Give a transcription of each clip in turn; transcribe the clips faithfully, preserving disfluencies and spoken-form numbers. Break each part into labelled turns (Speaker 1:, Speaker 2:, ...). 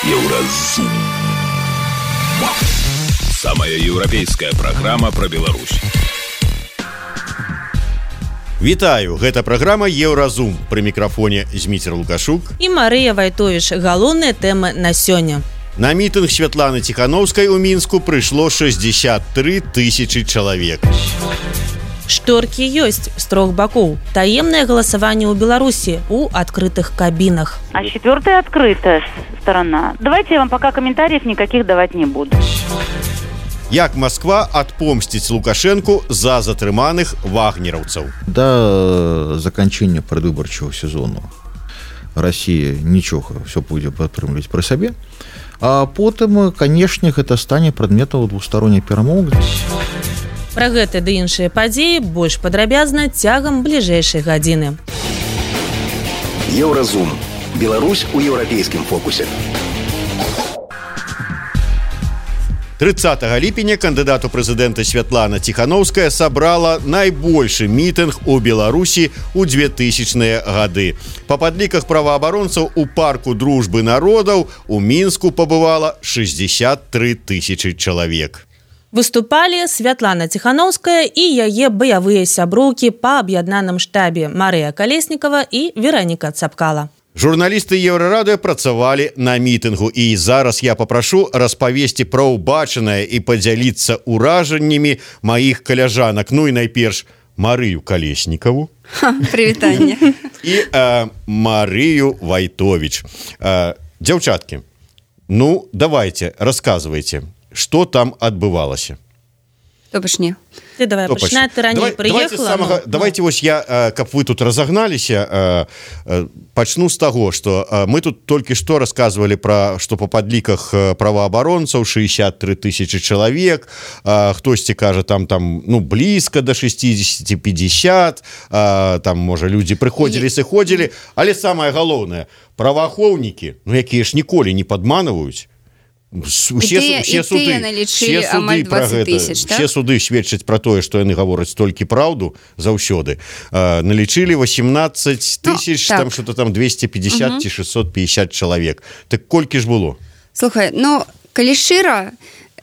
Speaker 1: Еўразум. Самая еўрапейская праграма пра Беларусь.
Speaker 2: Вітаю, гэта праграма Еўразум. Пры мікрафоне Зміцер Лукашук
Speaker 3: і Марыя Вайтовіч. Галоўныя тэмы на сёння.
Speaker 2: На мітынг Святланы Ціханаўскай у Мінску прыйшло шэсцьдзесят тры тысячы чалавек.
Speaker 3: Шторкі ёсць з трох бакоў. Таемнае галасаванне ў Беларусі у адкрытых кабінах.
Speaker 4: А четвертая открытая сторона. Давайте я вам пока комментариев никаких давать не буду.
Speaker 2: Як Москва адпомсціць Лукашэнку за затрыманых вагнераўцаў.
Speaker 5: Да заканчэння прадвыбарчага сезону Расія нічога, все будзе падтрымліваць пры сабе. А потым, канешне, гэта стане прадметам двухсторонніх перамоў.
Speaker 3: Пра гэта ды іншыя падзеі больш падрабязна цягам бліжэйшай гадзіны.
Speaker 1: Еўразум. Беларусь у еўрапейскім фокусе.
Speaker 2: трыццатага ліпеня кандыдат у прэзідэнта Святлана Ціханаўская сабрала найбольшы мітынг у Беларусі ў двухтысячныя гады. Па падліках праваабаронцаў у парку дружбы народаў у Мінску пабывала шэсцьдзесят тры тысячы чалавек.
Speaker 3: Выступалі Святлана Ціханаўская і яе баявыя сяброўкі па аб'яднаным штабе Марыя Калеснікава і Вераніка Цапкала.
Speaker 2: Журналісты Еўрарадыё працавалі на мітынгу, і зараз я папрашу распавесці пра ўбачанае і падзяліцца ўражаннямі маіх каляжанак. Ну і найперш Марыю Калеснікаву.
Speaker 6: Прывітанне.
Speaker 2: І э, Марыю Вайтовіч. Э, дзяўчаткі, ну давайте, расказвайце, што там адбывалася.
Speaker 6: То пачне.
Speaker 3: Ты давай пачинай, ты раней прыехала. Давайте,
Speaker 2: самага,
Speaker 3: ну,
Speaker 2: давайте вось я, каб вы тут разагналіся, пачну з таго, што мы тут толькі што расказвалі пра, што па падліках праваабаронцаў шэсцьдесят тры тысячы чалавек, хтосьці кажа там там ну блізка да шэсцьдзесят пятьдесят, там можа людзі прыходзілі, сыходзілі, але самае галоўнае, праваахоўнікі, ну якія ж ніколі не падманваюць. Усе, усе, суды, усе, суды пра гэта, усе суды сведчаць пра тое, што яны гавораць толькі праўду заўсёды. А, налічылі восемнадцать тысяч, ну, так. Там что-то там двести пятьдесят ці шестьсот пятьдесят чалавек. Так колькі ж было?
Speaker 6: Слухай, ну, калі шчыра,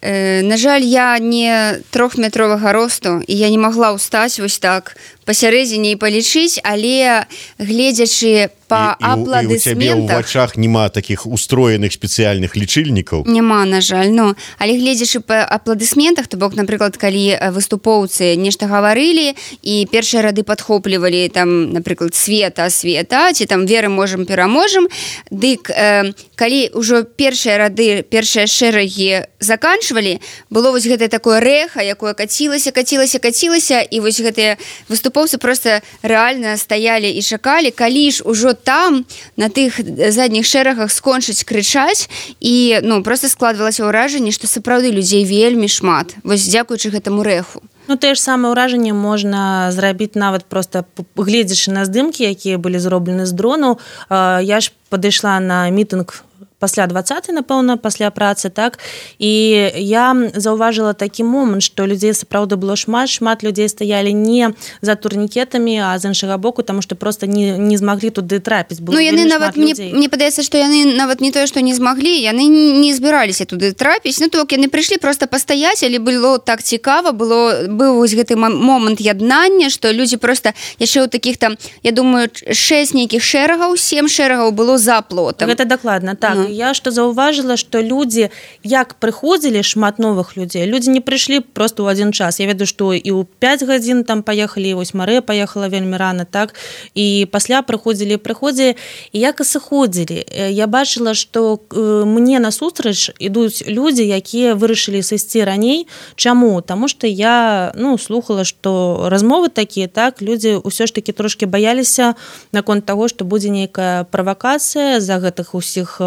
Speaker 6: э, на жаль, я не трохметровага росту, і я не магла ўстаць вось так пасярэдзіне і палічыць, але гледзячы па апладысментах... І, і у цябе ў
Speaker 2: вачах няма такіх устроеных спецыяльных лічыльнікаў?
Speaker 6: Няма, на жаль, ну, але гледзячы па апладысментах, то бок, напрыклад, калі выступоўцы нешта гаварылі і першыя рады падхоплівалі, там, напрыклад, света, света, ці там веры можам, пераможам, дык, э, калі ўжо першыя рады, першыя шэрагі заканчвалі, было вось гэтае такое рэха, якое кацілася, кацілася, кацілася, і вось гэтыя выступоўцы проста рэальна стаялі і чакалі, калі ж ужо там на тых задніх шэрагах скончыць крычаць, і ну просто складвалася ўражанне, што сапраўды людзей вельмі шмат, вось дзякуючы гэтаму рэху.
Speaker 3: Ну, тое ж самае ўражанне можна зрабіць нават проста гледзячы на здымкі, якія былі зроблены з дрону. Я ж падышла на мітынг пасля двадцатай, напэўна, пасля працы, так, і я заўважыла такі момант, што людзей сапраўды было шмат, шмат людзей стаялі не за турнікетамі, а з іншага боку, таму што проста не, не змаглі туды трапіць. Было
Speaker 6: ну, яны нават, мне, мне падаецца, што яны нават не тое, што не змаглі, яны не збіраліся туды трапіць, ну, то яны прыйшлі проста пастаяць, але было так цікава, было, быў вось гэты момант яднання, што людзі проста яшчэ ў такіх там, я думаю, шэсць нейкіх шэрагаў, сем шэрагаў было за плотам.
Speaker 3: Гэта дакладна, так. Ну. Я што заўважыла, што людзі, як прыходзілі, шмат новых людзей, людзі не прыйшлі проста ў адзін час. Я ведаю, што і ў пяць гадзін там паехалі, вось Марыя паехала вельмі рана, так, і пасля прыходзілі, прыходзілі, і як і сыходзілі. Я бачыла, што мне насустрач ідуць людзі, якія вырашылі сысці раней. Чаму? Таму што я, ну, слухала, што размовы такія, так, людзі ўсё ж такі трошкі баяліся наконт таго, што будзе нейкая правакацыя за гэтых усіх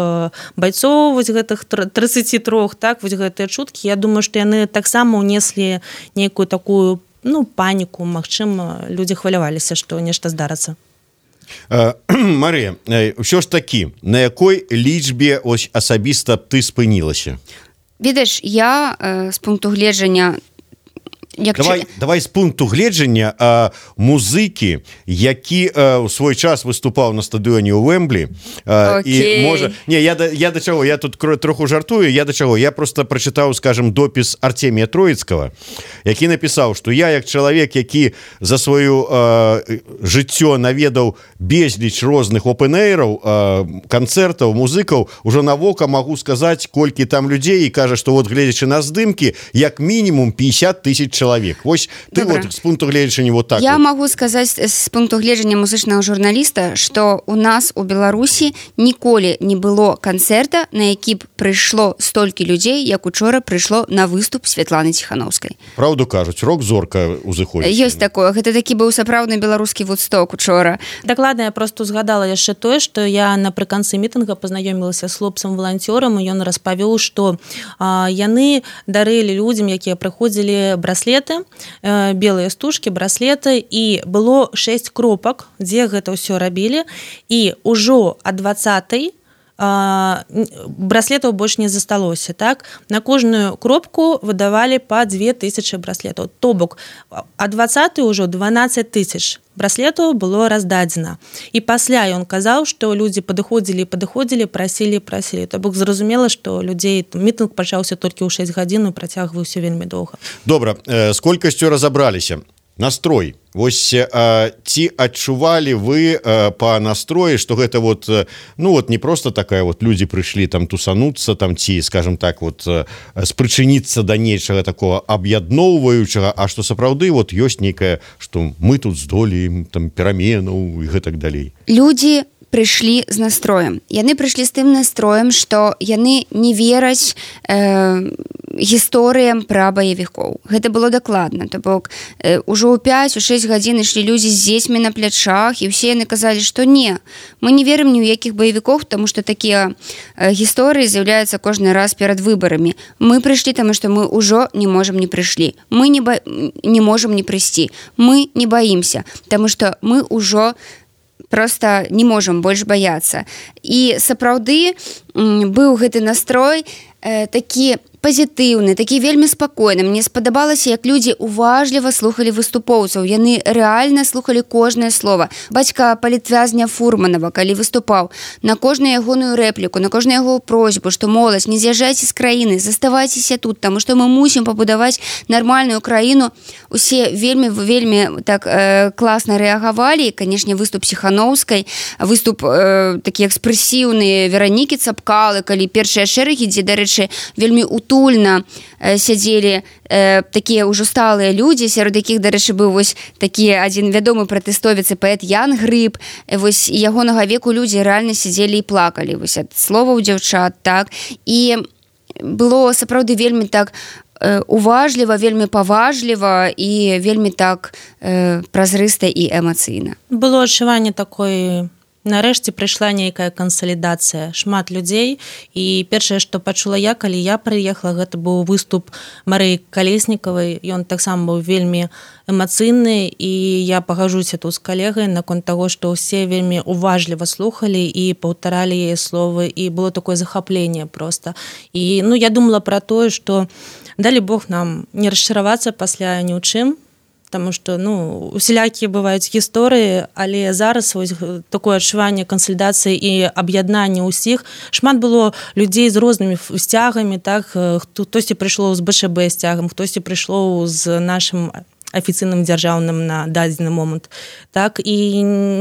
Speaker 3: байцоў, вось гэтых тридцати трёх, так, вось гэтыя чуткі. Я думаю, што яны таксама ўнеслі нейкую такую, ну, паніку, магчыма, людзі хваляваліся, што нешта здарыцца.
Speaker 2: Марыя, ўсё ж такі, на якой лічбе ось асабіста ты спынілася?
Speaker 6: Ведаеш, я з пункту гледжання як
Speaker 2: давай,
Speaker 6: чу...
Speaker 2: давай з пункту гледжання а, музыкі, які а, у свой час выступаў на стадыёне ў Вэмблі а, і можа... Не, я, да, я да чаго, я тут троху жартую, я да чаго, я просто прачытаў, скажем, допіс Артемія Троіцкага, які напісаў, што я як чалавек, які за сваю а, жыццё наведаў безліч розных опен-эйраў, канцэртаў, музыкаў, ужо на вока магу сказаць, колькі там людзей, і кажа, што вот гледзячы на здымкі, як мінімум пятьдесят тысяч чалавек. Вось ты Добра. Вот з пункту гледжання вот так.
Speaker 6: Я
Speaker 2: вот.
Speaker 6: магу сказаць з пункту гледжання музычнага журналіста, што у нас у Беларусі ніколі не было канцэрта, на які б прыйшло столькі людзей, як учора прыйшло на выступ Святланы Ціханаўскай.
Speaker 2: Праўду кажуць, рок-зорка узыходзіць.
Speaker 6: Ёсць такое. Гэта такі быў сапраўдны беларускі Вудсток учора.
Speaker 3: Дакладна, я просто згадала яшчэ тое, што я напрыканцы мітынга пазнаёмілася з хлопцам-валанцёрам, і ён распавёў, што а, яны дарылі людзям, якія прыходзілі браслеты, э, белыя стужкі, браслеты, і было шэсць кропак, дзе гэта ўсё рабілі, і ўжо ад дваццатай браслетаў больш не засталося, так? На кожную кропку выдавалі па две тысячы браслетаў. То бок, ад дваццатай ўжо дванаццаць тысяч браслетаў было раздадзена. І пасля ён казаў, што людзі падыходзілі, падыходзілі, прасілі, прасілі. То бок, зразумела, што людзей мітынг пачаўся толькі ў шэсць гадзін і працягваўся вельмі доўга.
Speaker 2: Добра, э, з колькасцю разабраліся. Настрой. Вось а, ці адчувалі вы а, па настроі, што гэта вот, ну вот не просто такая вот людзі прыйшлі там тусануцца там ці, скажем так, вот спрычыніцца да нечага такого аб'ядноўваючага, а што сапраўды вот ёсць нейкае, што мы тут здолеем там пераменаў і гэтак далей.
Speaker 6: Людзі прыйшлі з настроем. Яны прыйшлі з тым настроем, што яны не вераць э, гісторыям пра баевікоў. Гэта было дакладна. То бок, э, ужо ў пяць у шэсць гадзін ішлі людзі з дзецьмі на плячах, і ўсе яны казалі, што не, мы не верым ні ў якіх баевікоў, таму што такія э, гісторыі з'яўляюцца кожны раз перад выбарамі. Мы прыйшлі, таму што мы ўжо не можам не прыйшлі. Мы не, ба... не можам не прыйсці. Мы не баімся, таму што мы ўжо просто не можам больш баяцца. І сапраўды быў гэты настрой э, такі пазітыўны, такі вельмі спакойны. Мне спадабалася, як людзі уважліва слухалі выступоўцаў. Яны рэальна слухалі кожнае слова. Бацька палітвязня Фурманова, калі выступаў, на кожную ягоную рэпліку, на кожную яго просьбу, што моладзь, не з'язджайце з краіны, заставайцеся тут, таму што мы мусім пабудаваць нармальную краіну. Усе вельмі, вельмі так э, класна рэагавалі. Канешне, выступ Ціханаўскай, выступ э, такі экспрэсіўны Веранікі Цапкалы, калі першыя шэрагі, дзе, дарэчы, вельмі утульна э, сядзелі э, такія ўжо сталыя людзі, сярод якіх, дарэчы, быў вось такі адзін вядомы пратэстовец і паэт Ян Грыб. Вось ягонага веку людзі рэальна сядзелі і плакалі вось ад словаў дзяўчат, так. І было сапраўды вельмі так э, уважліва, вельмі паважліва і вельмі так э, празрыста і эмацыйна.
Speaker 3: Было адчуванне такой... Нарэшце прыйшла нейкая кансалідацыя, шмат людзей, і першае, што пачула я, калі я прыехала, гэта быў выступ Марыі Калеснікавай. Ён таксама быў вельмі эмацыйны, і я пагажуся тут з калегай наконт таго, што ўсе вельмі уважліва слухалі і паўтаралі яе словы, і было такое захапленне проста. І ну, я думала пра тое, што далі Бог нам не расчаравацца пасля ні ў чым, Таму што ну усялякія бываюць гісторыі, але зараз вось такое адчуванне кансалідацыі і аб'яднання ўсіх. Шмат было людзей з рознымі сцягамі, так, хтосьці прыйшло з БШБ сцягам, хтосьці прыйшло з нашым афіцыйным дзяржаўным на дадзены момант. Так, і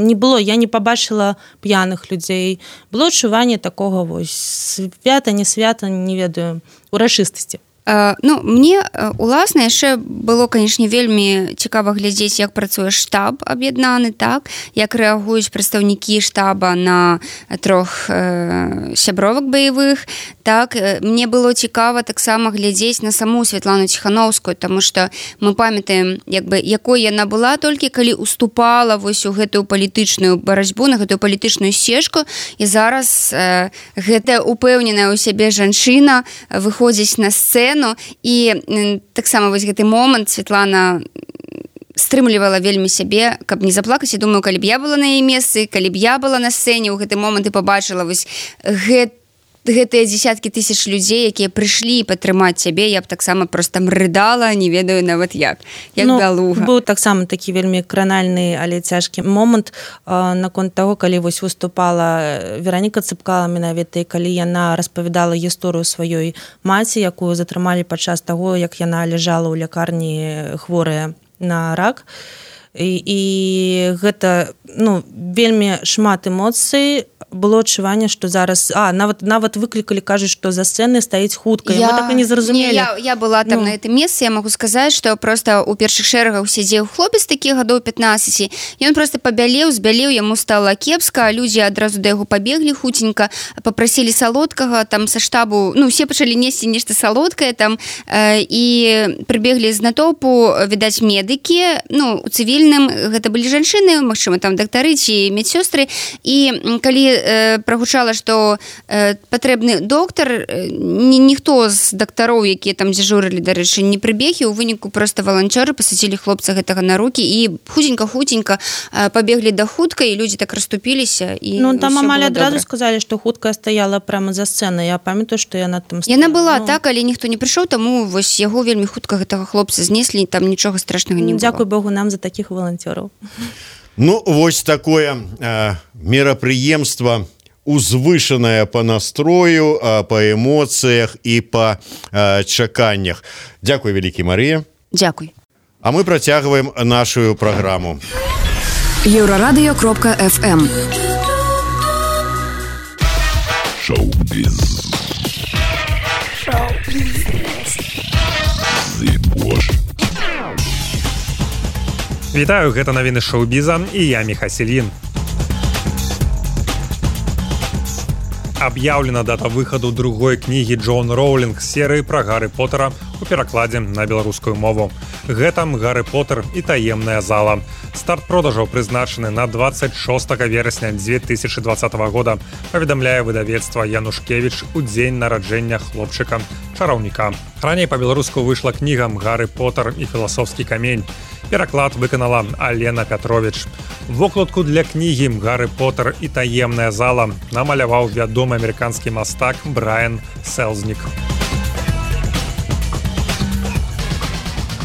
Speaker 3: не было, я не пабачыла п'яных людзей. Было адчуванне такога вось свята, не свята, не ведаю, урачыстасці.
Speaker 6: Uh, ну, мне uh, уласна яшчэ было, канешне, вельмі цікава глядзець, як працуе штаб аб'яднаны, так, як рэагуюць прадстаўнікі штаба на трох uh, сябровак баявых, так, мне было цікава таксама глядзець на саму Святлану Ціханаўскую, таму што мы памятаем, як бы, якой яна была толькі калі уступала вось у гэтую палітычную барацьбу, на гэтую палітычную сцежку, і зараз uh, гэтая упэўненая ў сябе жанчына выходзіць на сцэну. І таксама вось гэты момант Святлана стрымлівала вельмі сябе, каб не заплакаць. Я думаю, калі б я была на яе месцы, калі б я была на сцэне ў гэты момант і пабачыла вось гэты гэтыя дзесяткі тысяч людзей, якія прыйшлі падтрымаць цябе, я б таксама проста рыдала, не ведаю нават як як
Speaker 3: ну,
Speaker 6: бялуга.
Speaker 3: Быў таксама такі вельмі кранальны, але цяжкі момант наконт таго, калі вось выступала Вераніка Цыпкала менавіта, і калі яна распавядала гісторыю сваёй маці, якую затрымалі падчас таго, як яна ляжала ў лякарні хворая на рак. І, і гэта ну, вельмі шмат эмоцый, было адчуванне, што зараз а нават нават выклікалі, кажуць, што за сцэнай стаіць хутка.
Speaker 6: Я,
Speaker 3: мы так і не зразумелі.
Speaker 6: Не, я, я была там ну. на гэтым месцы, я магу сказаць, што проста ў першых шэрагах сядзеў хлопец такі гадоў пятнаццаць, ён проста пабялеў, збялеў, яму стала кепска, людзі адразу да яго пабеглі хутенька, папрасілі салодкага, там са штабу, ну усе пачалі несці нешта салодкае там э, і прыбеглі з натоўпу, відаць, медыкі, ну у цывільным гэта былі жанчыны, магчыма, там дактары ці медсёстры, і калі прагучала, што э, патрэбны доктар, ні, ніхто з дактароў, якія там дзяжурылі, дарэчы, не прыбег, і ў выніку проста валанцёры пасадзілі хлопца гэтага на рукі і хутенька-хутенька э, пабеглі да хуткай, і людзі так расступіліся. І
Speaker 3: ну там амаль адразу
Speaker 6: добра.
Speaker 3: сказалі, што хуткая стаяла прямо за сцэнай. Я памятаю, што яна там стаяла.
Speaker 6: Яна была
Speaker 3: ну...
Speaker 6: так, але ніхто не прыйшоў, таму вось яго вельмі хутка гэтага хлопца знеслі, там нічога страшнага не было.
Speaker 3: Дзякуй Богу нам за такіх валанцёраў.
Speaker 2: Ну, вось такое э, мерапрыемства узвышанае па настрою, э, па эмоцыях і па э, чаканнях. Дзякуй, вялікі Марыя.
Speaker 6: Дзякуй.
Speaker 2: А мы працягваем нашу праграму.
Speaker 7: Еўрарадыё кропка эф эм.
Speaker 1: Шоу-біз. Шоу-біз. Зыбош.
Speaker 8: Вітаю, гэта навіны шоу-біза, і я Міха Сельін. Аб'яўлена дата выхаду другой кнігі Джоан Роулінг серыі пра Гарры Поттера у перакладзе на беларускую мову. Гэта Гарры Поттер і таемная зала. Старт продажаў прызначаны на двадцать шостага верасня две тысячи двадцатого года, паведамляе выдавецтва Янушкевіч у дзень нараджэння хлопчыка чараўніка. Раней па-беларуску выйшла кніга Гарры Поттер і філасофскі камень. Пераклад выканала Алена Пятрович. Вокладку для кнігі Гарры Поттер і таемная зала намаляваў вядомы амерыканскі мастак Брайан Селзнік.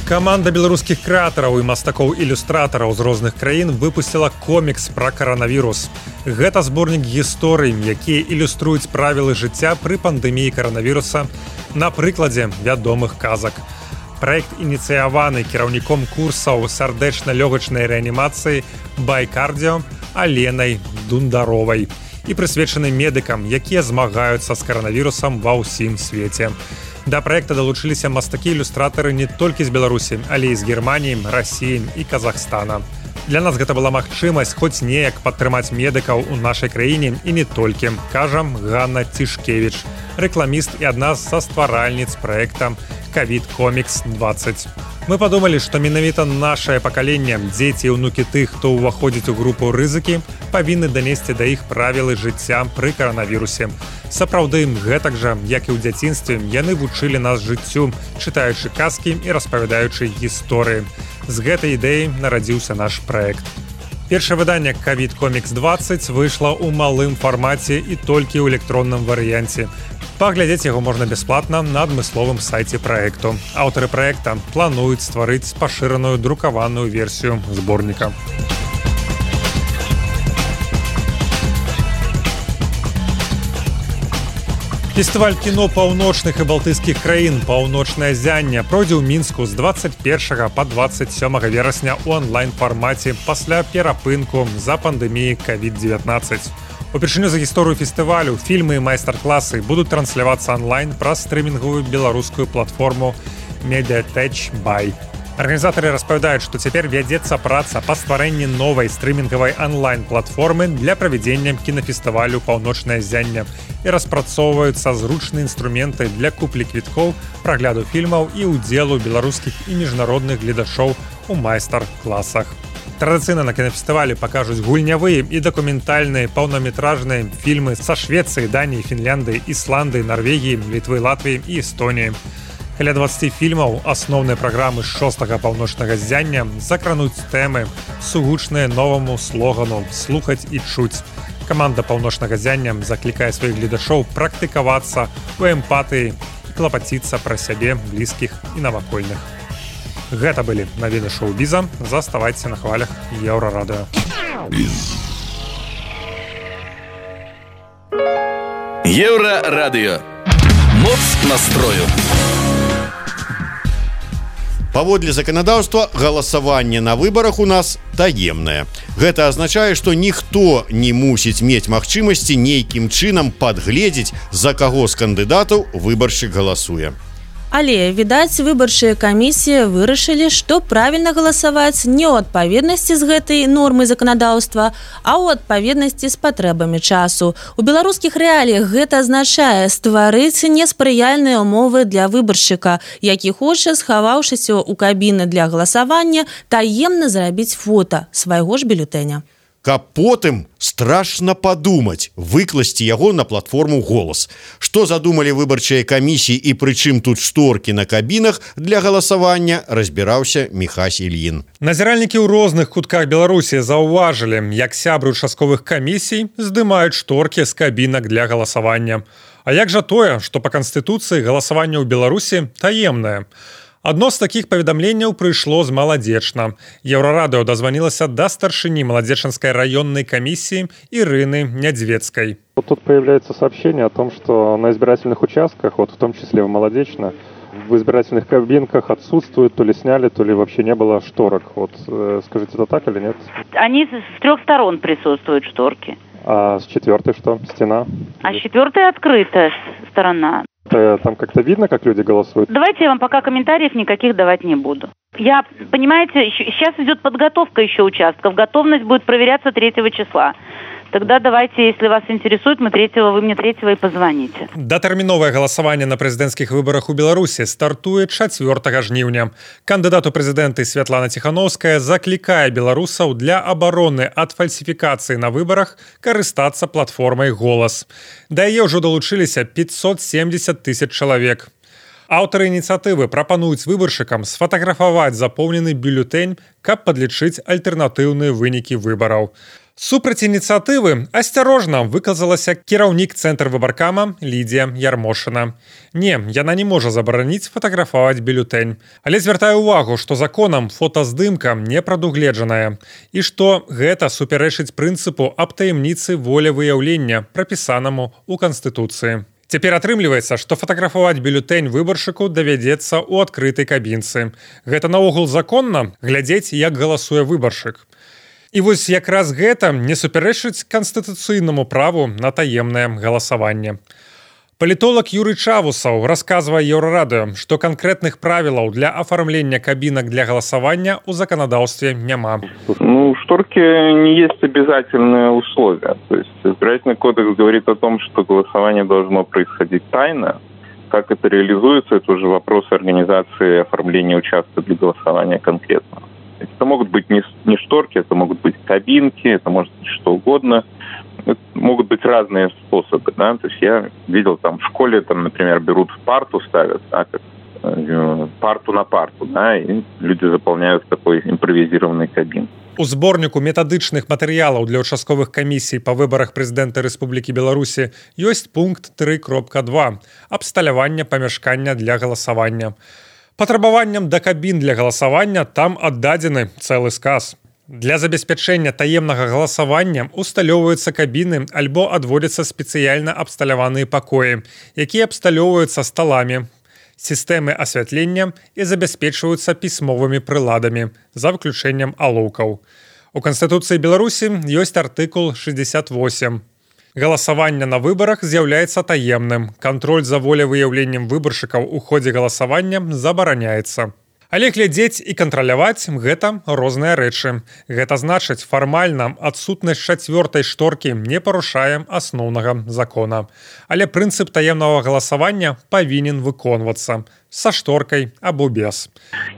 Speaker 8: Каманда беларускіх крэатараў і мастакоў-ілюстратараў з розных краін выпусціла комікс пра каранавірус. Гэта зборнік гісторый, якія ілюструюць правілы жыцця пры пандэміі каранавіруса на прыкладзе вядомых казак. Праект ініцыяваны кіраўніком курсаў сардэчна-лёгачнай рэанімацыі Байкардіо Аленай Дундаровай і прысвечаны медыкам, якія змагаюцца з каранавірусам ва ўсім свеце. Да праекта далучыліся мастакі-ілюстратары не толькі з Беларусі, але і з Германіі, Расіі і Казахстана. Для нас гэта была магчымасць хоць неяк падтрымаць медыкаў у нашай краіне і не толькі, кажа Ганна Цішкевіч, рэкламіст і адна са стваральніц праекта ковід комікс двадцать. Мы падумалі, што менавіта нашае пакаленне, дзеці і ўнукі тых, хто ўваходзіць у групу рызыкі, павінны данесці да іх правілы жыцця пры каранавірусе. Сапраўды, гэтак жа, як і ў дзяцінстве, яны вучылі нас жыццю, чытаючы казкі і распавядаючы гісторыі. З гэтай ідэі нарадзіўся наш праект. Першае выданне ковід комікс двадцать выйшла ў малым фармаце і толькі ў электронным варыянце. Паглядзець яго можна бясплатна на адмысловым сайце праекту. Аўтары праекта плануюць стварыць пашыраную друкаваную версію зборніка. Фестываль кіно паўночных і балтыйскіх краін «Паўночнае зянне» пройдзе ў Мінску з двадцать першага па двадцать сёмага верасня ў онлайн-фармаце пасля перапынку за пандэміі ковід дзевятнаццаць. Упершыню за гісторыю фестывалю фільмы і майстар-класы будуць транслявацца онлайн праз стрымінгавую беларускую платформу Mediatek Buy. Арганізатары распавядаюць, што цяпер вядзецца праца па стварэнні новай стрымінгавай онлайн-платформы для правядзення кінафестывалю «Паўночнае зянне» і распрацоўваюцца зручныя інструменты для куплі квіткоў, прагляду фільмаў і ўдзелу беларускіх і міжнародных гледачоў у майстар-класах. Традыцыйна на кінафестывалі пакажуць гульнявыя і дакументальныя паўнаметражныя фільмы са Швецыі, Даніі, Фінляндыі, Ісландыі, Нарвегіі, Літвы, Латвіі і Эстоніі. Каля двадцати фільмаў асноўнай праграмы шостага паўночнага зяння закрануць тэмы, сугучныя новаму слогану «Слухаць і чуць». Каманда паўночнага ззяння заклікае сваіх гледачоў практыкавацца у эмпатыі, клапаціцца пра сябе, блізкіх і навакольных. Гэта былі навіны шоу-біза. Заставайцеся на хвалях Еўрарадыё.
Speaker 9: Еўрарадыё. Моц настрою.
Speaker 2: Паводле заканадаўства галасаванне на выбарах у нас таемнае. Гэта азначае, што ніхто не мусіць мець магчымасці нейкім чынам падгледзець, за каго з кандыдатаў выбаршчык галасуе.
Speaker 3: Але, відаць, выбарчыя камісіі вырашылі, што правільна галасаваць не ў адпаведнасці з гэтай нормай заканадаўства, а ў адпаведнасці з патрэбамі часу. У беларускіх рэаліях гэта азначае стварыць неспрыяльныя ўмовы для выбаршчыка, які хоча, схаваўшыся ў кабіны для галасавання, таемна зрабіць фота свайго ж бюлетэня.
Speaker 2: Каб потым страшна падумаць, выкласці яго на платформу «Голас». Што задумалі выбарчыя камісіі і прычым тут шторкі на кабінах для галасавання, разбіраўся Міхась Ільін.
Speaker 8: Назіральнікі ў розных кутках Беларусі заўважылі, як сябры участковых камісій здымаюць шторкі з кабінак для галасавання. А як жа тое, што па Канстытуцыі галасаванне ў Беларусі таемнае? Адно з такіх паведамленняў прыйшло з Маладзечна. Еўрарадыё дазванілася да старшыні Маладзечанскай раённой комиссии Ирины Нядзвецкой.
Speaker 10: Вот тут появляется сообщение о том, что на избирательных участках, вот в том числе в Маладзечна, в избирательных кабинках отсутствуют, то ли сняли, то ли вообще не было шторок. Вот э, скажите, это так или нет?
Speaker 4: Они с трех сторон присутствуют шторки.
Speaker 10: А с четвертой что? Стена?
Speaker 4: А с четвертой открытая сторона.
Speaker 10: Там как-то видно, как люди голосуют?
Speaker 4: Давайте я вам пока комментариев никаких давать не буду. Я, понимаете, сейчас идет подготовка еще участков. Готовность будет проверяться третьего числа. Тогда давайте, если вас интересует, мы третьего, вы мне третьего и позвоните.
Speaker 8: Датэрміновае галасаванне на прэзідэнцкіх выбарах у Беларусі стартуе чацвёртага жніўня. Кандыдат у прэзідэнты Святлана Ціхановская заклікае беларусаў для абароны ад фальсіфікацыі на выбарах карыстацца платформай «Голас». Да яе ўжо далучыліся пятьсот семьдесят тысяч чалавек. Аўтары ініцыятывы прапануюць выбаршчыкам сфатаграфаваць запоўнены бюлетэнь, каб падлічыць альтэрнатыўныя вынікі выбараў. Супраць ініцыятывы асцярожна выказалася кіраўнік цэнтр выбаркама Лідія Ярмошына. Не, яна не можа забараніць фатаграфаваць бюлетэнь, але звяртае ўвагу, што законам фотаздымка не прадугледжаная і што гэта супярэчыць прынцыпу аб таямніцы волевыяўлення, прапісанаму ў Канстытуцыі. Цяпер атрымліваецца, што фатаграфаваць бюлетэнь выбаршчыку давядзецца ў адкрытай кабінцы. Гэта наогул законна глядзець, як галасуе выбаршчык. І вось якраз гэта не супярэчыць канстытуцыйнаму праву на таемнае галасаванне. Палітолог Юрый Чавусаў расказвае Еўрарадыё, што канкрэтных правілаў для афармлення кабінак для галасавання ў заканадаўстве няма.
Speaker 11: Ну, шторки не есть обязательное условие. То есть избирательный кодекс говорит о том, что голосование должно происходить тайно. Как это реализуется, это уже вопрос организации оформления участка для голосования конкретно. Это могут быть не, не шторки, это могут быть кабинки, это может быть что угодно. Это могут быть разные способы, да. То есть я видел там в школе, там, например, берут парту, ставят, да, как, э, парту на парту, да, и люди заполняют такой импровизированный кабин.
Speaker 8: У зборніку метадычных матэрыялаў для ўчастковых камісій па выбарах прэзідэнта Рэспублікі Беларусі ёсць пункт тры кропка два абсталявання памяшкання для галасавання. Патрабаванням да кабін для галасавання там аддадзены цэлы сказ. Для забеспячэння таемнага галасавання усталёўваюцца кабіны альбо адводзяцца спецыяльна абсталяваныя пакоі, якія абсталёўваюцца сталамі, сістэмы асвятлення і забяспечваюцца пісьмовымі прыладамі, за выключэннем алоўкаў. У Канстытуцыі Беларусі ёсць артыкул шестьдесят восемь. Галасаванне на выбарах з'яўляецца таемным. Кантроль за волевыяўленнем выбаршчыкаў у ходзе галасавання забараняецца. Але глядзець і кантраляваць – гэта розныя рэчы. Гэта значыць, фармальна адсутнасць чацвёртай шторкі не парушае асноўнага закона. Але прынцып таемнага галасавання павінен выконвацца со шторкой або без.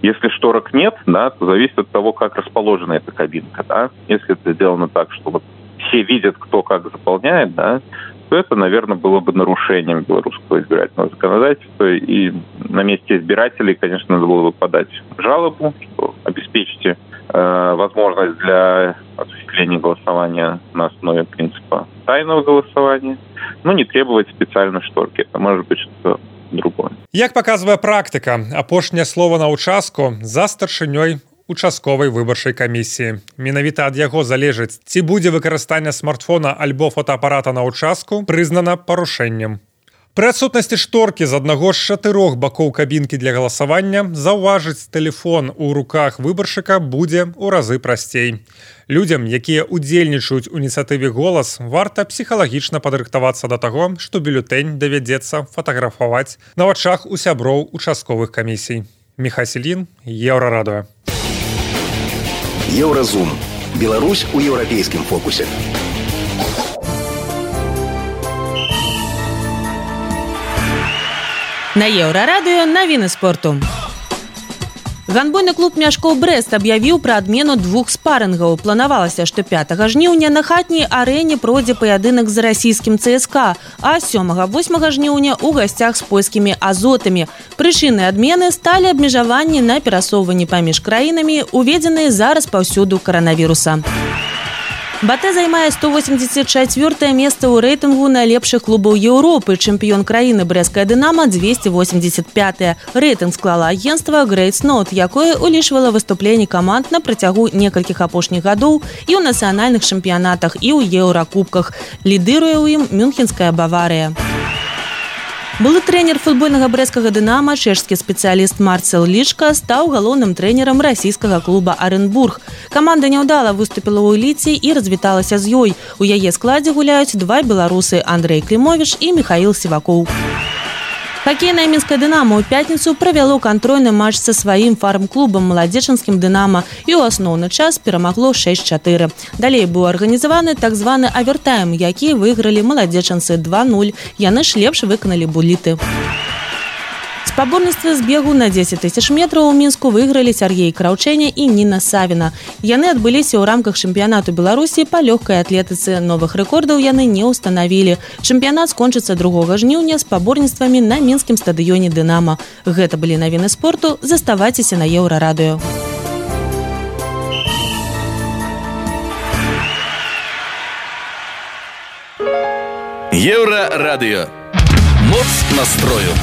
Speaker 11: Если шторок нет, да, то зависит от того, как расположена эта кабинка. Да? Если это сделано так, что вот все видят, кто как заполняет, да, то это, наверное, было бы нарушением белорусского избирательного законодательства. И на месте избирателей, конечно, надо было бы подать жалобу, что обеспечьте э, возможность для осуществления голосования на основе принципа тайного голосования, но не требовать специальной шторки. Это может быть что-то другое.
Speaker 8: Як паказвае практыка, апошняе слово на ўчастку за старшынёй участковай выбарчай камісіі. Менавіта ад яго залежыць, ці будзе выкарыстанне смартфона альбо фотоапарата на ўчастку прызнана парушэннем. Пры адсутнасці шторкі з аднаго з чатырох бакоў кабінкі для галасавання заўважыць тэлефон у руках выбаршчыка будзе ў разы прасцей. Людзям, якія ўдзельнічаюць у ініцыятыве «Голас», варта псіхалагічна падрыхтавацца да таго, што бюлетэнь давядзецца фатаграфаваць на вачах у сяброў участковых камісій. Міхась Ільін, Еўрарадыё.
Speaker 12: Еўразум. Беларусь у еўрапейскім фокусе.
Speaker 3: На Еўрарадыё навіны спорту. Гандбольны клуб «Мяшкоў Брэст» аб'явіў пра адмену двух спарынгаў. Планавалася, што пятага жніўня на хатняй арэне пройдзе паядынак з расійскім ЦСКА, а сёмага-восьмага жніўня ў гасцях з польскімі азотамі. Прычынай адмены сталі абмежаванні на перасоўванні паміж краінамі, уведзеныя зараз паўсюду каранавіруса. Батэ займае сто восемьдесят чвёртае месца ў рэйтынгу найлепшых клубаў Еўропы. Чэмпіён краіны брэсцкая «Дынама» двести восемьдесят пятое. Рэйтынг склала агенцтва Great Note, якое улічвала выступленні каманд на працягу некалькіх апошніх гадоў і ў нацыянальных чэмпіянатах, і ў еўракубках. Лідыруе ў ім мюнхенская «Баварыя». Былы трэнер футбольнага брэсцкага «Дынама», чэшскі спецыяліст Марцел Лічка стаў галоўным трэнерам расійскага клуба «Аренбург». Каманда няўдала выступіла ў эліце і развіталася з ёй. У яе складзе гуляюць два беларусы Андрэй Клімовіч і Міхаіл Сівакоў. Хакейнае мінскае «Дынама» ў пятніцу правяло кантрольны матч са сваім фарм-клубам маладзечанскім «Дынама» і ў асноўны час перамагло шэсць чатыры. Далей быў арганізаваны так званы авертайм, які выйгралі маладзечанцы два нуль. Яны ж лепш выканалі буліты. Спаборніцтвы з бегу на дзесяць тысяч метраў у Мінску выйгралі Сяргей Краўчэня і Ніна Савіна. Яны адбыліся ў рамках чэмпіянату Беларусі па лёгкай атлетыцы. Новых рэкордаў яны не ўстанавілі. Чэмпіянат скончыцца другога жніўня спаборніцтвамі на мінскім стадыёне «Дынама». Гэта былі навіны спорту. Заставайцеся на Еўрарадыё.
Speaker 9: Еўрарадыё. Моц настрою.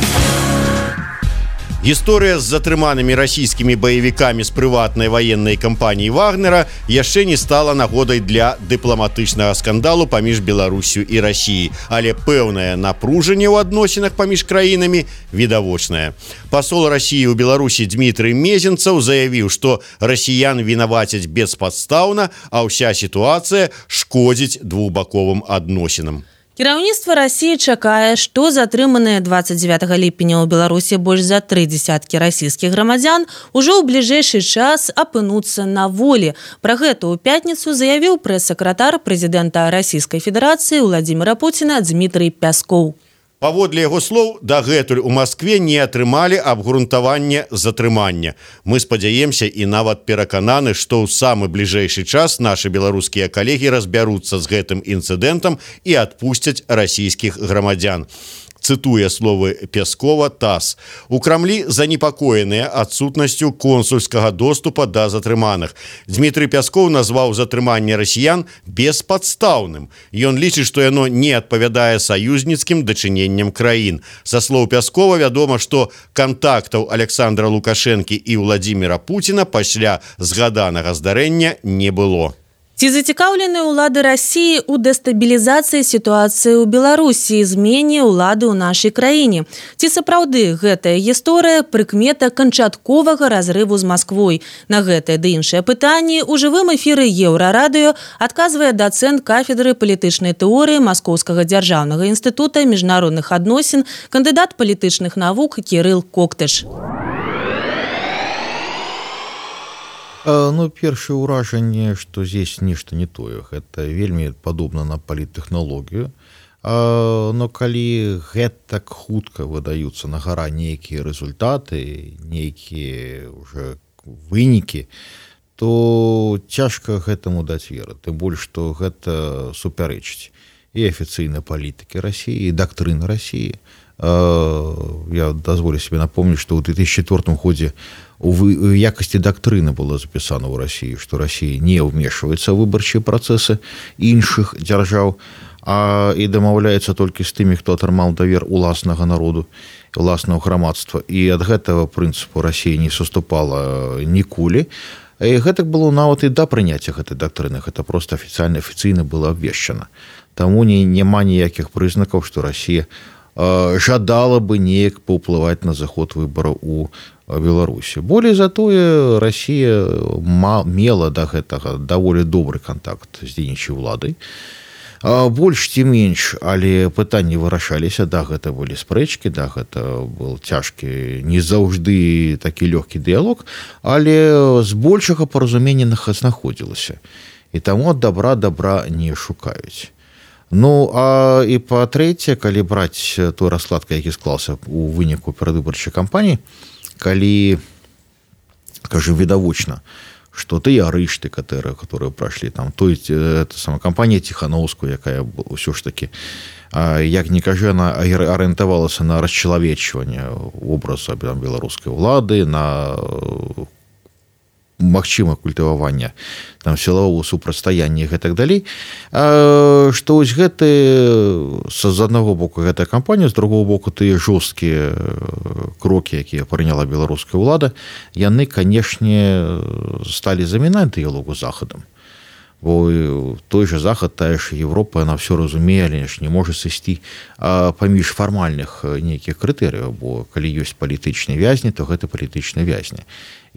Speaker 2: Гісторыя з затрыманымі расійскімі баевікамі з прыватнай ваеннай кампаніі «Вагнера» яшчэ не стала нагодай для дыпламатычнага скандалу паміж Беларусю і Расіяй, але пэўнае напружанне ў адносінах паміж краінамі відавочнае. Пасол Расіі ў Беларусі Дмітрый Мезенцаў заявіў, што расіян вінавацяць беспадстаўна, а ўся сітуацыя шкодзіць двухбаковым адносінам.
Speaker 3: Кіраўніцтва Расіі чакае, што затрыманыя двадцать девятого ліпеня ў Беларусі больш за тры дзясяткі расійскіх грамадзян ужо ў бліжэйшы час апынуцца на волі. Пра гэта ў пятніцу заявіў прэс-сакратар прэзідэнта Расійскай Федэрацыі Владзіміра Пуціна Дмітрый Пяскоў.
Speaker 2: Паводле яго слоў, дагэтуль у Маскве не атрымалі абгрунтаванне затрымання. Мы спадзяемся і нават перакананы, што ў самы бліжэйшы час нашы беларускія калегі разбяруцца з гэтым інцыдэнтам і адпусцяць расійскіх грамадзян. Цытуе словы Пяскова ТАСС. У Крамлі занепакоеныя адсутнасцю консульскага доступа да затрыманых. Дмітрый Пяскоў назваў затрыманне расіян беспадстаўным. Ён лічыць, што яно не адпавядае саюзніцкім дачыненням краін. Са слоў Пяскова вядома, што кантактаў Александра Лукашэнкі і Владзіміра Пуціна пасля згаданага здарэння не было.
Speaker 3: Ці зацікаўленыя ўлады Расіі ў дэстабілізацыі сітуацыі ў Беларусі і змене ўлады ў нашай краіне? Ці сапраўды гэтая гісторыя прыкмета канчатковага разрыву з Масквой? На гэтае ды іншыя пытанні ў жывым эфіры Еўрарадыё адказвае дацэнт кафедры палітычнай тэорыі Маскоўскага дзяржаўнага інстытута міжнародных адносін, кандыдат палітычных навук Кірыл Коктыш.
Speaker 5: Ну, першае ўражанне, што здесь нешта не тое. Гэта вельмі падобна на паліттэхналогію. Но калі гэтак хутка выдаюцца на гара нейкія рэзультаты, нейкія ўжо вынікі, то цяжка гэтаму даць веру. Тым больш, што гэта супярэчыць і афіцыйнай палітыкі Расіі, і дактрыны Расіі. Я дазволю себе напомнить, что в две тысячи четвёртом году в якости доктрины было записано в России, что Россия не вмешивается в выборчие процессы іншых держав, а и домовляется только с теми, кто отрымал довер уласного народу, уласного громадства. И от этого принципу Россия не соступала никулі. И это было нават и до принятия этой доктрины. Это просто официально, официально было обвешено. Тому не, нема никаких признаков, что Россия э, жадала бы неяк поуплывать на заход выборов у Беларуси. Более зато Россия мела до этого довольно добрый контакт с дзейнічай уладай. Больш ці менш, але пытанні вырашаліся, да, гэта былі спрэчкі, да, гэта был цяжкі, не заўжды такі лёгкі дыялог, але з большага паразумення знаходзілася. І таму добра добра не шукаюць. Ну, а і па-трэцяе, калі браць той расклад, які склаўся у выніку перадвыбарчай кампаніі, калі, скажем, відавочна, что ты арышты, которые, которые прошли там, то есть это сама компания Тихановскую, якая ўсё ж таки, як не кажа, она арыентавалася на расчалавечванне образа беларускай улады, на магчыма культывавання там сілавого супрацьстаяння і так далей, што вось гэты з аднаго боку гэтая кампанія, з другого боку тыя жорсткія крокі, якія прыняла беларуская ўлада, яны, канешне, сталі замінаць дыялогу з захадам. Бо той же захад, тая ж Европа, она все разумее, але ж не можа сысці паміж фармальных нейкіх крытэрыяў, бо калі ёсць палітычныя вязні, то гэта палітычныя вязні.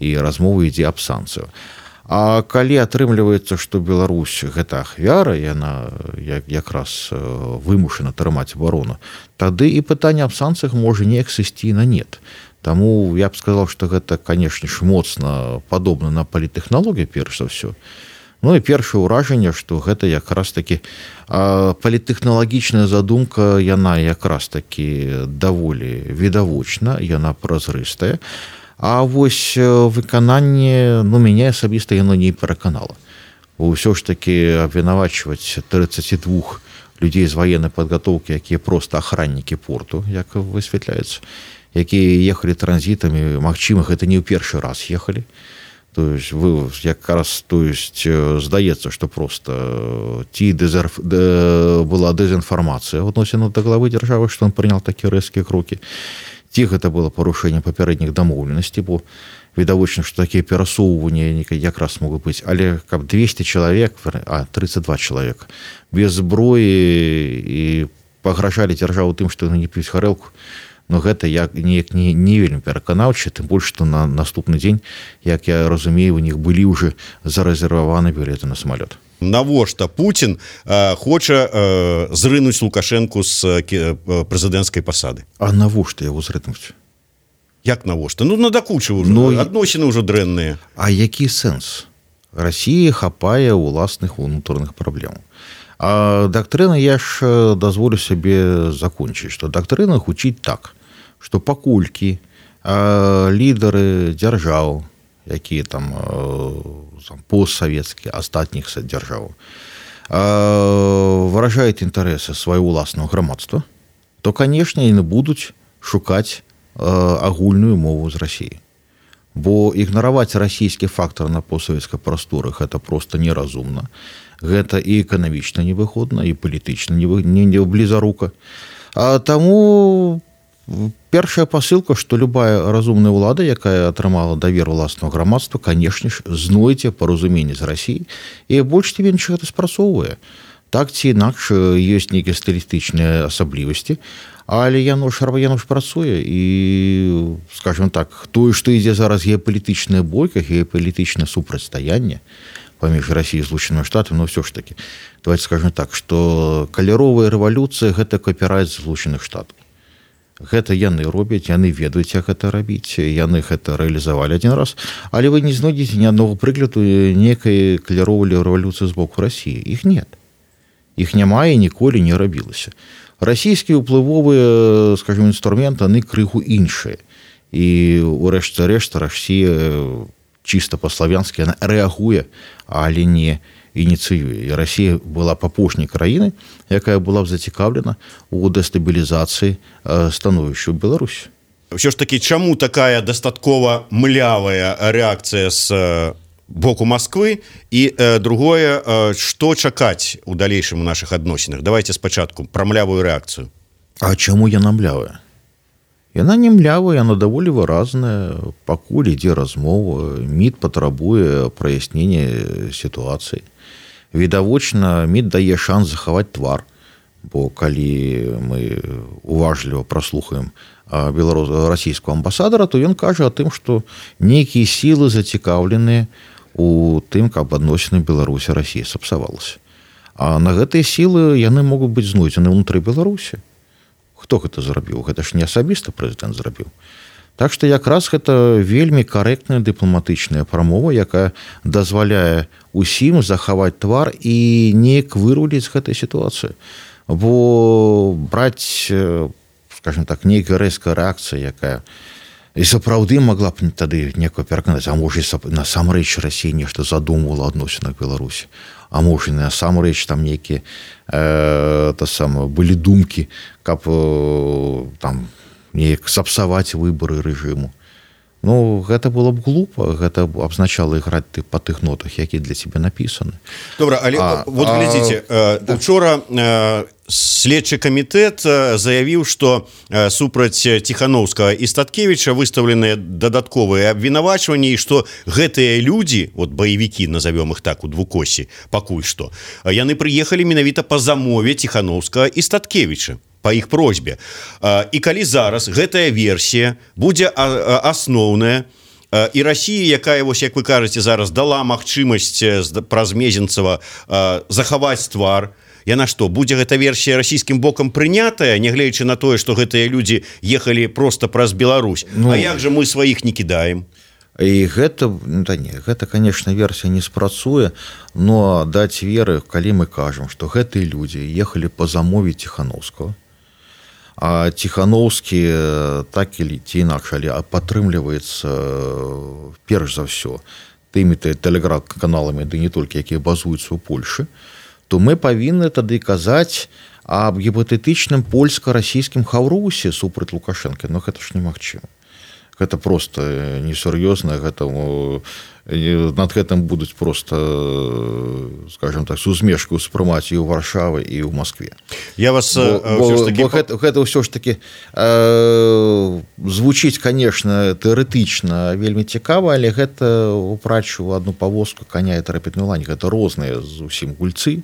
Speaker 5: І размова ідзе аб санкцыю. А калі атрымліваецца, што Беларусь гэта ахвяра, яна як, якраз вымушана трымаць абарону, тады і пытанне аб санкцыях можа неяк сысці на нет. Таму я б сказаў, што гэта, канешне ж, моцна падобна на палітэхналогію, перш за ўсё. Ну і першае ўражанне, што гэта якраз такі палітэхналагічная задумка, яна якраз такі даволі відавочна, яна празрыстая. А вось выкананне, ну, мяне асабіста яно не пераканала. Бо ўсё ж такі абвінавачваць тридцать два людзей з ваеннай падгатоўкі, якія проста ахраннікі порту, як высвятляецца, якія ехалі транзітамі, магчыма, гэта не ў першы раз ехалі. То есть вы якраз, то есть здаецца, што просто ці дезерф... была дэзінфармацыя адносіна да главы дзяржавы, што ён прынял такія рэзкія крокі. Ці гэта было парушэнне папярэдніх дамоўленасцей, бо відавочна, што такія перасоўванні якраз могуць быць, але каб двести чалавек, а тридцать два чалавека без зброі і пагражалі дзяржаву тым, што яны не п'юць гарэлку, но гэта як неяк не, не вельмі пераканаўча, тым больш, што на наступны дзень, як я разумею, у них былі ўжо зарэзерваваны білеты на самалёт.
Speaker 2: Навошта Путін э, хоча э, зрынуць Лукашэнку з э, прэзідэнцкай пасады?
Speaker 5: А навошта яго зрынуць?
Speaker 2: Як навошта? Ну, надакучы ўжо,
Speaker 5: но...
Speaker 2: адносіны ўжо дрэнныя.
Speaker 5: А які сэнс? Расія хапае ўласных унутраных праблем. А доктрина, я ж дазволю себе закончить, что доктрина гучить так, что пакульки лидеры держав, якія там, там постсоветские, астатніх держав, выражают интересы своего власного громадства, то, конечно, яны будут шукать агульную мову з Россией. Бо ігнараваць расійскі фактор на постсавецкай прасторах это просто неразумна. Гэта і эканамічна невыгодна, і палітычна не, не, не блізарука. А таму першая пасылка, што любая разумная ўлада, якая атрымала давер уласнага грамадства, канешне ж, знойдзе паразуменне з Расіяй, і больш ці менш гэта спрацоўвае. Так ці інакш ёсць нейкія стылістычныя асаблівасці, але яно ж, яно ж працуе, і, скажем так, тое, што ідзе зараз геапалітычная бойка, геапалітычнае супрацьстаянне паміж Расіяй і Злучанымі Штатамі, но ўсё ж такі, давайте скажем так, што каляровая рэвалюцыя – гэта капірайт Злучаных Штатаў. Гэта яны робяць, яны ведаюць, як гэта рабіць, яны гэта рэалізавалі адзін раз, але вы не знойдзеце ні аднаго прыкладу некай каляровай рэвалюцыі з боку Расіі. Іх нет. Іх няма і ніколі не рабілася. Расійскія ўплывовыя, скажем, інструменты, яны крыху іншыя. І ўрэшце рэшт Расія чисто по-славянски, она реагуе, але не ініцыюе. І Расія была б апошняй краінай, якая была б зацікаўлена у дэстабілізацыі становішча ў Беларусі.
Speaker 2: Ўсё ж такі, чаму такая дастаткова млявая рэакцыя з боку Москвы і э, другое, э, што чакаць у далейшым у нашых адносінах? Давайте спачатку пра млявую рэакцыю.
Speaker 5: А чаму яна млявая? Яна не млявая, яна даволі выразная. Пакуль ідзе размова, МІД патрабуе праяснення сітуацыі. Відавочна, МІД дае шанс захаваць твар, бо калі мы уважліва праслухаем беларуска-расійского амбасадара, то ён кажа о тым, што нейкія сілы зацікаўленыя у тым, каб адносіны Беларусі Расіі сапсавалася. А на гэтыя сілы яны могуць быць знойдзены ўнутры Беларусі. Хто гэта зрабіў? Гэта ж не асабіста прэзідэнт зрабіў. Так што якраз гэта вельмі карэктная дыпламатычная прамова, якая дазваляе усім захаваць твар і неяк выруліць з гэтай сітуацыі. Бо браць, скажем так, нейкая рэзкая рэакцыя, якая і сапраўды могла б тады некую пераканаць, а можа насамрэч Расія нешта задумвала адносінах Беларусі. А можа, насамрэч там нейкія э, та сама, былі думкі, каб э, там неяк сапсаваць выбары рэжыму. Ну, гэта было б глупа, гэта абзначала іграць ты па тых нотах, які для цябе напісаны.
Speaker 2: Добра, але а, вот глядзіце, а, э, учора э, следчы камітэт заявіў, што э, супраць Ціхановскага і Статкевіча выстаўленыя дадатковыя абвінавачванні, і што гэтыя людзі, вот баевікі, назовём іх так у двукосі, пакуль што, яны прыехалі менавіта па замове Ціхановскага і Статкевіча, по іх просьбе. І калі зараз гэтая версія будзе асноўная, і Расія, якая, вось, як вы кажаце, зараз дала магчымасць праз Мезенцева захаваць твар, яна што, будзе гэта версія расійскім бокам прынятая, нягледзячы на тое, што гэтыя людзі ехалі проста праз Беларусь? Ну, а як жа мы сваіх не кідаем?
Speaker 5: І гэта, да не, гэта, конечно, версія не спрацуе, но даць веры, калі мы кажам, што гэтыя людзі ехалі па замове Ціхановскага, а Ціхановскі так или ці інакш, але падтрымліваецца перш за ўсё тымі тэлеграм-каналамі, ды не толькі, якія базуюцца ў Польшы, то мы павінны тады казаць аб гіпатэтычным польска-расійскім хаўрусе супраць Лукашэнкі. Но гэта ж немагчыма. Гэта просто несур'ёзна, гэта над гэтым будуць просто, скажем так, с усмешкой успрымаць і ў Варшавы, і ў Москве.
Speaker 2: Я вас
Speaker 5: бо, бо, таки... бо гэта, гэта ўсё ж таки э, звучыць, конечно, тэарэтычна вельмі цікава, але гэта упрачу адну павозку коня і трапетную лань. Гэта розныя зусім гульцы.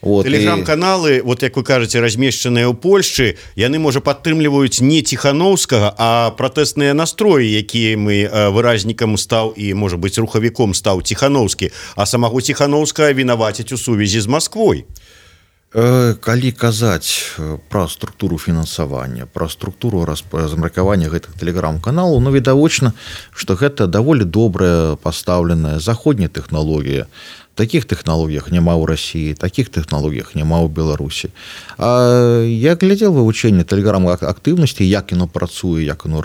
Speaker 5: Вот,
Speaker 2: Тэлеграм-каналы, вот як вы кажаце, размешчаныя ў Польшчы, яны, можа, падтрымліваюць не Ціхановскага, а пратэсныя настроі, якія мы выразнікам стаў і, можа быць, рухавіком стаў Ціхановскі, а самого Ціхановскага вінаваціць у сувязі з Масквой.
Speaker 5: Калі казаць пра структуру фінансавання, пра структуру размеркавання гэтых тэлеграм-каналаў, ну, відавочна, што гэта даволі добрая пастаўленая заходняя тэхналогія. Таких тэхналогіях няма ў Расіі, таких тэхналогіях няма ў Беларусі. А я глядзел вывучэнне тэлеграм-актыўнасці, як яно працуе, як яно,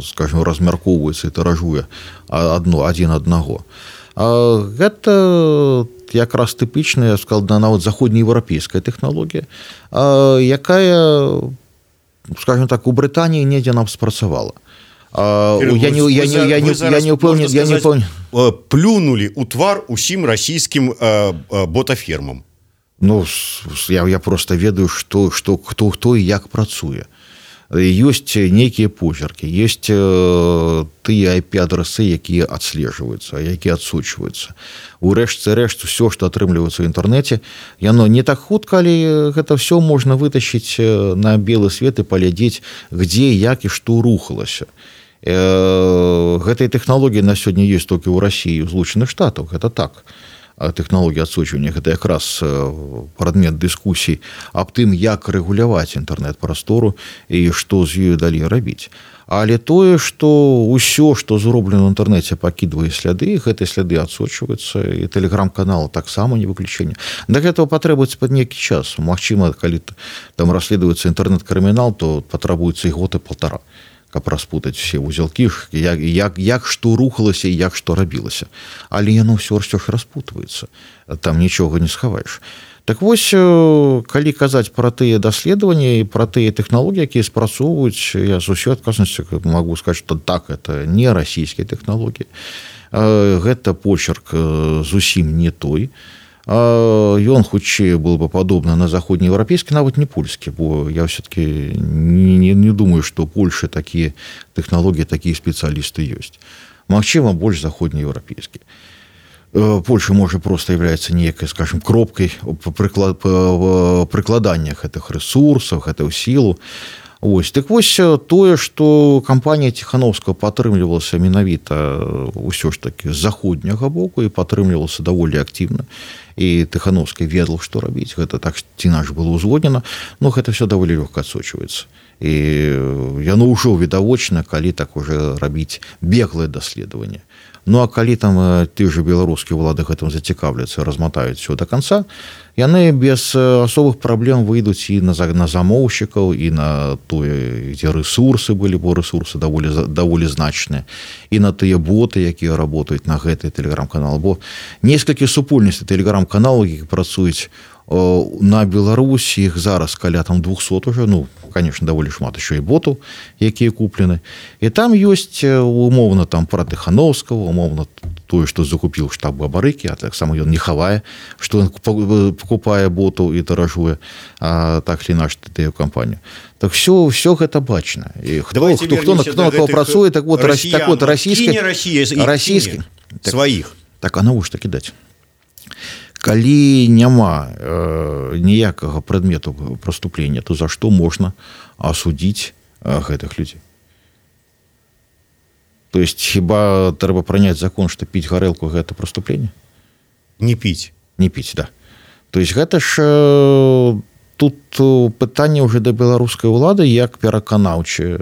Speaker 5: скажем, размяркоўваецца і тыражуе адно, адзін аднаго. А гэта якраз тыпічная, сказал, нават заходнееўрапейская тэхналогія, якая, скажем так, у Брытаніі недзе нам спрацавала. Я не, я, не, я, не, я не упэўнен, я не упэўнен.
Speaker 2: Плюнули у твар усім расійскім э, э, ботафермам.
Speaker 5: Ну, я, я просто ведаю, што, што, хто, хто і як працуе. Ёсць нейкія позіркі, ёсць э, тыя ай пі-адрасы, якія адслежваюцца, якія адсочваюцца. У рэшце рэшт, усё, што атрымліваецца ў інтэрнэце, яно не так хутка, але гэта ўсё можна вытащыць на белы свет і паглядзець, дзе, як і што рухалася. Гэтыя тэхналогіі на сёння ёсць толькі ў Расіі, у Злучаных Штатах, гэта так. Тэхналогія адсочвання, гэта якраз прадмет дыскусій аб тым, як рэгуляваць інтэрнэт-прастору і што з ёю далей рабіць. Але тое, што ўсё, што зроблена ў інтэрнэце, пакідвае сляды, гэтыя сляды адсочваюцца, і тэлеграм-канал таксама не выключэнне. Да гэтага патрэбуецца пад нейкі час. Магчыма, калі там расследуецца інтэрнэт-крымінал, то патрабуецца і год і паўтара. каб распутаць все узелкі, як, як, як што рухалася і як што рабілася. Але яно ўсё ж распутваецца. Там нічога не схаваеш. Так вось, калі казаць пра тыя даследаванні і пра тыя тэхналогіі, якія спрацоўваюць, я з усёй адказнасцю магу сказаць, што так, это не расійскія тэхналогіі. Гэта почерк зусім не той. Ён хутчэй был бы падобны на заходнееўрапейскі, нават не польскі, бо я ўсё-таки не, не, не думаю, што ў Польшы такія тэхналогіі, такія спецыялісты ёсць. Магчыма, больш заходнееўрапейскі. Польша, можа, просто являецца некай, скажем, кропкай прыкладання гэтых рэсурсаў, гэтую сілу. Ось. Так вось тое, што кампанія Ціхановскага падтрымлівалася менавіта ўсё ж такі з заходняга боку і падтрымлівалася даволі актыўна. І Тихановскі ведаў, што рабіць. Гэта так ці наш было ўзгоднена, но гэта все даволі лёгка адсочваецца. І яно ўжо відавочна, калі так уже рабіць беглае даследаванне. Ну, а калі там ты же беларускія ўлады гэтым зацікаўляцца, разматаюць все до конца, яны без асобых праблем выйдуць і на, на замоўшчыкаў, і на тое, дзе рэсурсы былі, бо рэсурсы даволі, даволі значныя, і на тыя боты, якія работаюць на гэты тэлеграм-канал. Бо некалькі супольнасцей тэлеграм-каналаў, які працуюць на Беларусі, іх зараз каля там двухсот уже, ну, конечно, даволі шмат еще і ботаў, якія куплены. І там ёсць умоўна там пра Тихановскага, умоўна тое, што закупіў штаб Бабарыкі, а таксама ён не хавае, што ён покупае ботаў і таражуе, а так ли наш тыя кампанію. Так все, все гэта бачна. І хто, хто, хто, хто, хто на кого працуе, так вот, так вот расійская, расійскі,
Speaker 2: сваіх.
Speaker 5: Так, а навошта кідаць? Калі няма э, ніякага прадмету преступлення, то за што можна асудзіць э, гэтых людзей? То есть хіба трэба прыняць закон, што піць гарэлку гэта преступление?
Speaker 2: Не піць.
Speaker 5: Не піць, да. То есть гэта ж э, тут пытанне ўжо да беларускай улады, як пераканаўча э,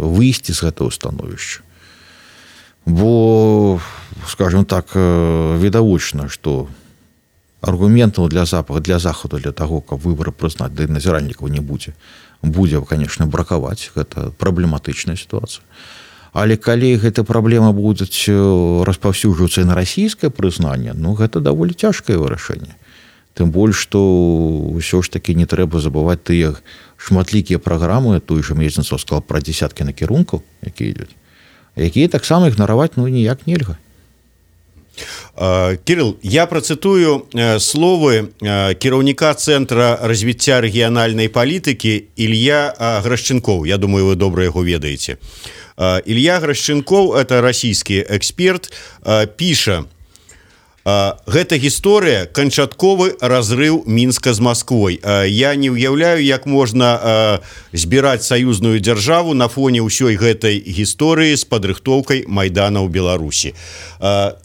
Speaker 5: выйсці з гэтага становішча. Бо, скажем так, э, відавочна, што аргументаў для запада, для захаду, для таго, каб выбары прызнаць, да і назіральнікаў не будзе. Будзе, конечно, бракаваць. Гэта праблематычная сітуацыя. Але калі гэта праблема будуць распаўсюджвацца на расійскае прызнанне, ну, гэта даволі цяжкае вырашэнне. Тым больш, што ўсё ж такі не трэба забываць тыя шматлікія праграмы, той же Мезенцаў сказал пра дзесяткі накірункаў, якія ідуць, якія таксама ігнараваць, ну, ніяк нельга.
Speaker 2: Кирилл, я процитую словы кіраўніка Центра развіцця рэгіянальнай палітыкі Ілья Грашченкоў. Я думаю, вы добра яго ведаеце. Илья Грашченкоў, это расійскі эксперт, піша: гэта гісторыя канчатковы разрыў Мінска з Масквой. Я не ўяўляю, як можна збіраць саюзную дзяржаву на фоне ўсёй гэтай гісторыі з падрыхтоўкай Майдана ў Беларусі.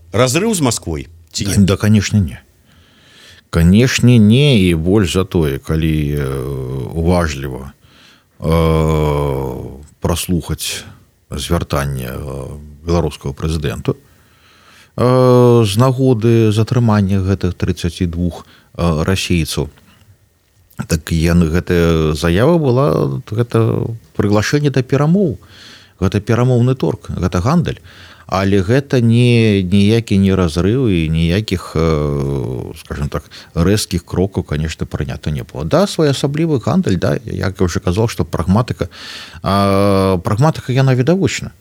Speaker 2: Разрыў з Масквой?
Speaker 5: Да, да, конечно, не. Конечно, не, і больш за тое, калі уважліва э, праслухаць звяртанне беларускага прэзідэнта з нагоды затрымання гэтых тридцати двух расейцаў. Так яны, гэтая заява была, гэта прыглашэнне да перамоў. Гэта перамоўны торг, гэта гандаль. Але гэта не ніякі не разрыў і ніякіх, скажем так, рэзкіх крокаў, конечно, прынята не было. Да, своеасаблівы гандаль, да, як я уже казал, што прагматыка, а, прагматыка яна відавочна.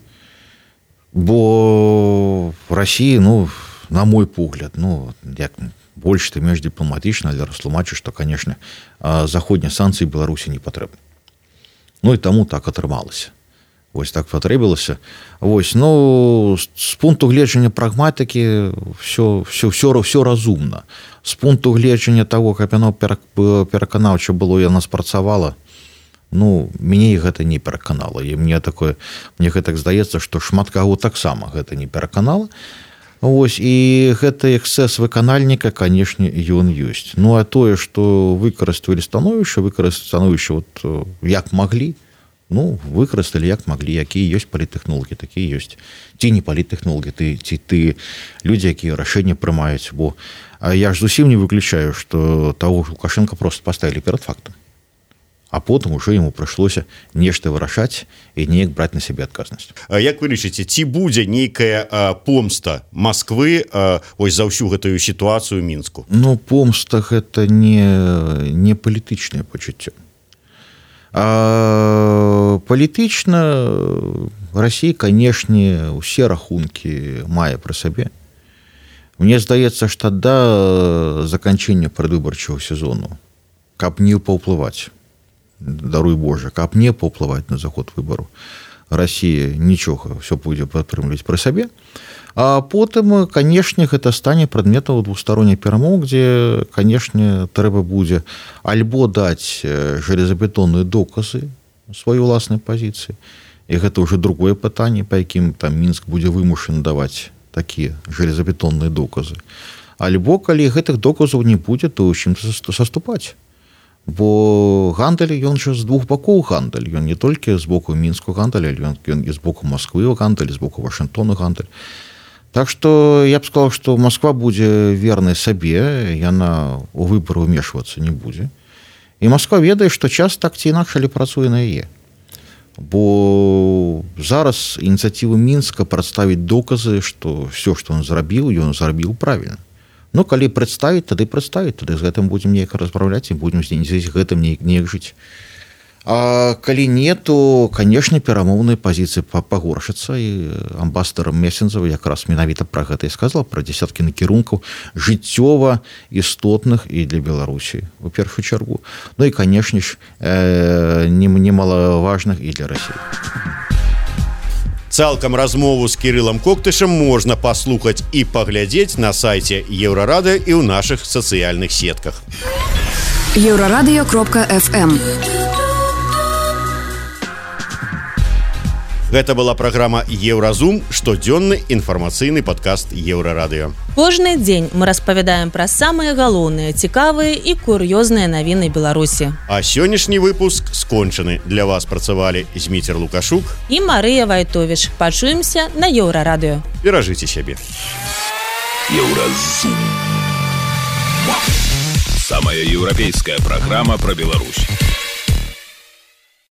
Speaker 5: Бо в России, ну, на мой погляд, ну, як больш ты менш дыпламатычна, але растлумачу, што, конечно, заходнія санкцыі Беларусі не патрэбны. Ну і таму так атрымалася. Вось так патрэбілася. Вось, ну, з пункту гледжання прагматыкі все, все, все, все разумна. З пункту гледжання того, каб яно пераканаўча было, яна спрацавала, ну, мяне гэта не пераканала. І мне такое, мне гэтак здаецца, што шмат каго таксама гэта не пераканала. Вось, і гэты эксцэс выканальніка, канешне, ён ёсць. Ну, а тое, што выкарысталі становішча, выкарысталі становішча вот, як маглі, ну, выкарысталі як маглі, якія ёсць паліттэхнологі, такія ёсць. Ці не паліттэхнологі, ты, ці ты людзі, якія рашэнні прымаюць, бо я ж зусім не выключаю, што таго Лукашенко просто паставілі перад фактам. а потым уже ему прыйшлося нешта вырашаць і неяк браць на сябе адказнасць.
Speaker 2: Як вы лічыце, ці будзе нейкая помста Масквы ось за ўсю гэтую сітуацыю Мінску?
Speaker 5: Ну, помста гэта не, не палітычнае пачуццё. А палітычна Расія, канешне, усе рахункі мае пры сабе. Мне здаецца, што да заканчэння прадвыбарчага сезону, каб не паўплываць, даруй Божа, каб не паўплываць на заход выбару, Расія нічога, все пойдзе падтрымліваць пры сабе. А потым, канешне, гэта стане прадметам двухсторонніх перамоў, дзе, канешне, трэба будзе альбо даць жалезабетонныя доказы сваёй уласнай пазіцыі, і гэта ўжо другое пытанне, па якім там Мінск будзе вымушаны даваць такія жалезабетонныя доказы. Альбо, калі гэтых доказаў не будзе, то ў чым саступаць. Бо гандаль, ён жа з двух бакоў гандаль. Ён не толькі з боку Мінску гандаль, але ён і з боку Масквы гандаль, з боку Вашынгтона гандаль. Так што я б сказаў, што Масква будзе вернай сабе, яна ў выбары ўмешвацца не будзе. І Масква ведае, што час так ці інакш але працуе на яе. Бо зараз ініцыятывы Мінска прадставіць доказы, што все, што ён зрабіў, ён зрабіў правільна. Ну, калі прадставіць, тады прадставіць, тады з гэтым будзем неяк размаўляць і будзем з гэтым неяк жыць. А калі не, то, канешне, перамоўныя пазіцыі пагоршацца, і амбасадар Месензава якраз менавіта пра гэта і сказала, пра дзесяткі накірункаў жыццёва істотных і для Беларусі, у першую чаргу. Ну і, канешне ж, немалаважных і для Расіі.
Speaker 2: Цалкам размову з Кірылам Коктышам можна паслухаць і паглядзець на сайце Еўрарадыё і ў нашых сацыяльных сетках.
Speaker 7: еўрарадыё кропка эф эм.
Speaker 2: Гэта была праграма Еўразум, штодзённы інфармацыйны падкаст Еўрарадыё.
Speaker 3: Кожны дзень мы распавядаем пра самыя галоўныя, цікавыя і кур'ёзныя навіны Беларусі.
Speaker 2: А сённяшні выпуск скончаны. Для вас працавалі Зміцер Лукашук
Speaker 3: і Марыя Вайтовіч. Пачуемся на Еўрарадыё.
Speaker 2: Беражыце сябе.
Speaker 1: Еўразум. Самая еўрапейская праграма пра Беларусь.